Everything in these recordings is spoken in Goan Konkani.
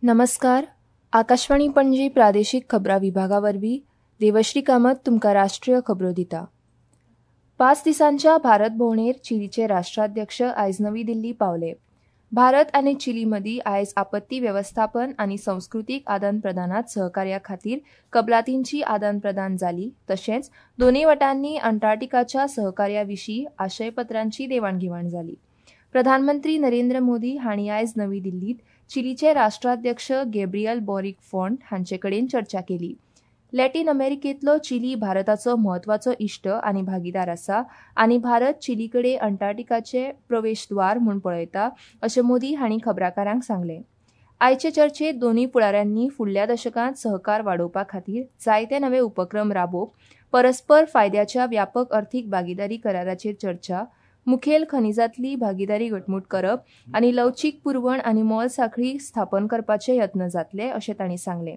नमस्कार. आकाशवाणी पणजी प्रादेशीक खबरां विभागा वरवीं देवश्री कामत तुमकां राष्ट्रीय खबरो दिता. 5 दिसांच्या भारत भोंवडेर चिलीचे राष्ट्राध्यक्ष आयज नवी दिल्ली पावले. भारत आनी चिली मदीं आयज आपत्ती वेवस्थापन आनी संस्कृतीक आदान प्रदानांत सहकार्या खातीर कबलातींची आदान प्रदान जाली. तशेंच दोनूय वटांनी अंटार्क्टिकाच्या सहकार्या विशीं आशयपत्रांची देवाणघेवाण जाली. प्रधानमंत्री नरेंद्र मोदी हांणी आयज नवी दिल्लींत चिलीचे राष्ट्राध्यक्ष गॅब्रियल बोरिक फॉन्ट हांचे कडेन चर्चा केली. लॅटीन अमेरिकेंतलो चिली भारताचो म्हत्वाचो इश्ट आनी भागीदार आसा आनी भारत चिली कडेन अंटार्क्टिकाचे प्रवेशद्वार म्हूण पळयता अशें मोदी हांणी खबराकारांक सांगलें. आयचे चर्चेत दोनूय फुडाऱ्यांनी फुडल्या दशकांत सहकार वाडोवपा खातीर जायते नवे उपक्रम राबोवप, परस्पर फायद्याच्या व्यापक अर्थीक भागीदारी कराराचेर चर्चा, मुखेल खनिजांतली भागीदारी घटमूट करप आनी लवचीक पुरवण आनी मोल साखळी स्थापन करपाचे यत्न जातले अशें तांणी सांगलें.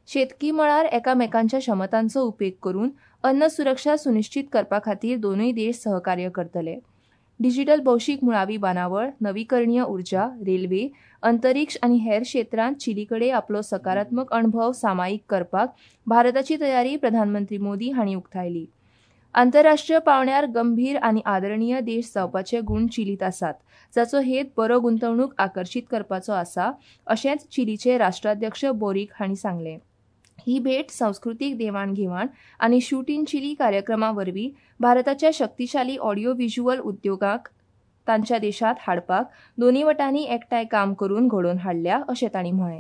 शेतकी मळार एकामेकांच्या क्षमतांचो उपेग करून अन्न सुरक्षा सुनिश्चीत करपा खातीर दोनूय देश सहकार्य करतले. डिजिटल भौशीक मुळावी बांदावळ, नवीकरणीय उर्जा, रेल्वे, अंतरिक्ष आनी हेर क्षेत्रांत चिली कडेन आपलो सकारात्मक अणभव सामायीक करपाक भारताची तयारी प्रधानमंत्री मोदी हांणी उक्तायली. आंतरराष्ट्रीय पांवड्यार गंभीर आनी आदरणीय देश जावपाचे गूण चिलींत आसात, जाचो हेत बरो गुंतवणूक आकर्शीत करपाचो आसा अशेंच चिलीचे राष्ट्राध्यक्ष बोरीक हांणी सांगलें. ही भेट संस्कृतीक देवाणघेवाण आनी शूट इन चिली कार्यक्रमा वरवीं भारताच्या शक्तिशाली ऑडियो व्हिज्युअल उद्योगाक तांच्या देशांत हाडपाक दोनूय वटांनी एकठांय काम करून घडोवन हाडल्या अशें तांणी म्हळें.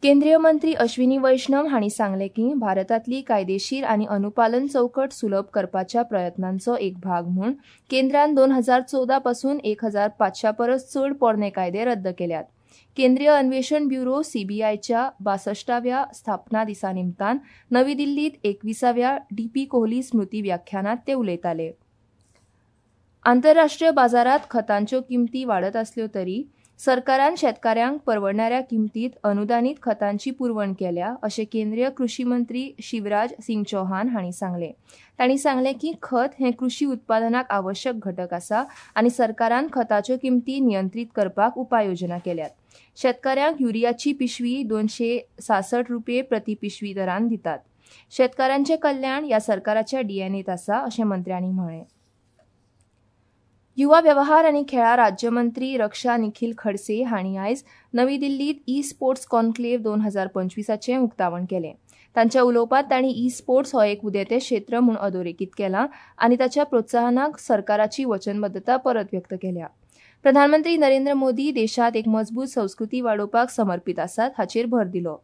केंद्रीय मंत्री अश्विनी वैष्णव हांणी सांगलें की भारतांतली कायदेशीर आनी अनुपालन चौकट सुलभ करपाच्या प्रयत्नांचो एक भाग म्हूण केंद्रान 2014 पासून 1500 परस चड पोरणे कायदे रद्द केल्यात. केंद्रीय अन्वेषण ब्युरो सीबीआयच्या 62व्या स्थापना दिसा निमतान नवी दिल्लींत 21व्या डीपी कोहली स्मृती व्याख्यानांत ते उलयताले. आंतरराष्ट्रीय बाजारांत खतांच्यो किमती वाडत आसल्यो तरी सरकारान शेतकाऱ्यांक परवडणाऱ्या किमतीत अनुदानीत खतांची पुरवण केल्या अशें केंद्रीय कृशी मंत्री शिवराज सिंग चौहान हांणी सांगलें. तांणी सांगलें की खत हें कृशी उत्पादनाक आवश्यक घटक आसा आनी सरकारान खताच्यो किमती नियंत्रीत करपाक उपाययोजना केल्यात. शेतकाऱ्यांक युरियाची पिशवी 266 रुपये प्रति पिशवी दरान दितात. शेतकारांचें कल्याण ह्या सरकाराच्या डीएनएत आसा अशें मंत्र्यांनी म्हळें. युवा व्यवहार आनी खेळां राज्यमंत्री रक्षा निखील खडसे हांणी आयज नवी दिल्लींत ई स्पोर्ट्स कॉन्क्लेव्ह 2025 उक्तावण केलें. तांच्या उलोवपांत तांणी ई स्पोर्ट्स हो एक उदेतें क्षेत्र म्हूण अधोरेखीत केलां आनी ताच्या प्रोत्साहनाक सरकाराची वचनबद्दता परत व्यक्त केल्या. प्रधानमंत्री नरेंद्र मोदी देशांत एक मजबूत संस्कृती वाडोवपाक समर्पित आसात हाचेर भर दिलो.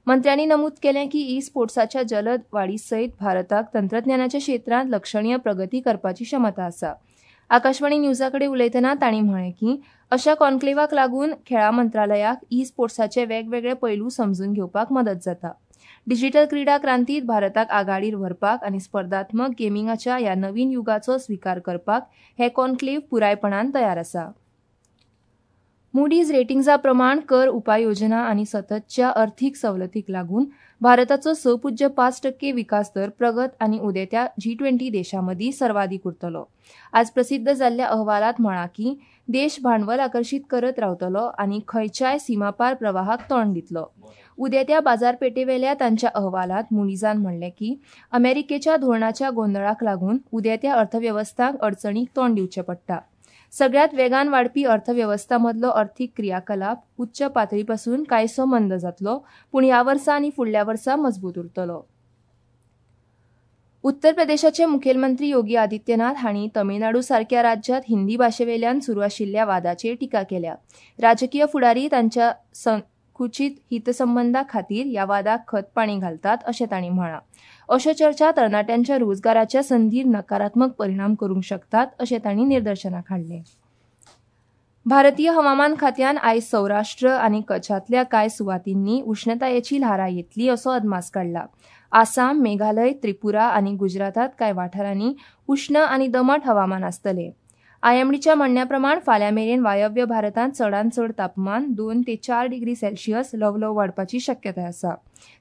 मंत्र्यांनी नमूद केलें की ई स्पोर्ट्साच्या जलद वाडी सयत भारताक तंत्रज्ञानाच्या क्षेत्रांत लक्षणीय प्रगती करपाची क्षमता आसा. आकाशवाणी न्यूजा कडेन उलयतना तांणी म्हळें की अशा कॉन्क्लेवाक लागून खेळां मंत्रालयाक ई स्पोर्ट्साचे वेगवेगळे पैलू समजून घेवपाक मदत जाता. डिजिटल क्रीडा क्रांतीत भारताक आघाडीर व्हरपाक आनी स्पर्धात्मक गेमिंगाच्या ह्या नवीन युगाचो स्विकार करपाक हे कॉन्क्लेव्ह पुरायपणान तयार आसा. मुडीज रेटिंग्जा प्रमाण कर उपाययोजना आनी सततच्या अर्थीक सवलतीक लागून भारताचो 6.5% विकास दर प्रगत आनी उदेत्या G20 देशां मदीं सर्वाधीक उरतलो. आज प्रसिद्ध जाल्ल्या अहवालांत म्हळां की देश भांडवल आकर्शीत करत रावतलो आनी खंयच्याय सीमापार प्रवाहाक तोंड दितलो. उदेत्या बाजारपेठेवेल्या तांच्या अहवालांत मुडीजान म्हणलें की अमेरिकेच्या धोरणाच्या गोंदळाक लागून उदेत्या अर्थवेवस्थांक अडचणीक तोंड दिवचें पडटा. सगळ्यात वेगान वाडपी अर्थवेवस्था मदलो अर्थीक क्रियाकलाप उच्च पातळीपासून कांयसो मंद जातलो, पूण ह्या वर्सा आनी फुडल्या वर्सा मजबूत उरतलो. उत्तर प्रदेशाचे मुखेलमंत्री योगी आदित्यनाथ हांणी तमिळनाडू सारक्या राज्यांत हिंदी भाशेवेल्यान सुरू आशिल्ल्या वादाचेर टिका केल्या. राजकीय फुडारी तांच्या संकुचीत हितसंबंधा खातीर ह्या वादाक खत पाणी घालतात अशें तांणी म्हळां. अश्यो चर्चा तरणाट्यांच्या रोजगाराच्या संदीर नकारात्मक परिणाम करूंक शकतात अशें तांणी निदर्शनाक हाडलें. भारतीय हवामान खात्यान आयज सौराष्ट्र आनी कच्छांतल्या कांय सुवातींनी उश्णतायेची ल्हारां येतली असो अदमास काडला. आसाम, मेघालय, त्रिपुरा आनी गुजरातांत कांय वाठारांनी उश्ण आनी दमट हवामान आसतलें. आयएमडीच्या म्हणण्या प्रमाण फाल्यां मेरेन वायव्य भारतांत चडांत चड तापमान 2 ते 4 डिग्री सेल्सियस ल्हवल्हव वाडपाची शक्यताय आसा.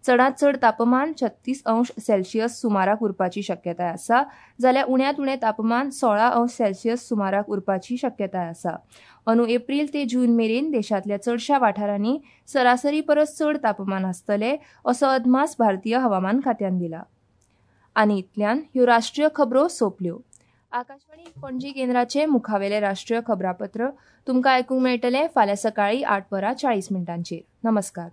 चडांत चड तापमान 36 अंश सेल्सियस सुमाराक उरपाची शक्यताय आसा, जाल्यार उण्यांत उणें तापमान 16 अंश सेल्सियस सुमाराक उरपाची शक्यताय आसा. अंदू एप्रील ते जून मेरेन देशांतल्या चडशा वाठारांनी सरासरी परस चड तापमान आसतलें असो अदमास भारतीय हवामान खात्यान दिला. आनी इतल्यान ह्यो राष्ट्रीय खबरो सोंपल्यो. आकाशवाणी पणजी केंद्राचे मुखावेले राष्ट्रीय खबरापत्र तुमकां आयकूंक मेळटलें फाल्यां सकाळीं 8:40. नमस्कार.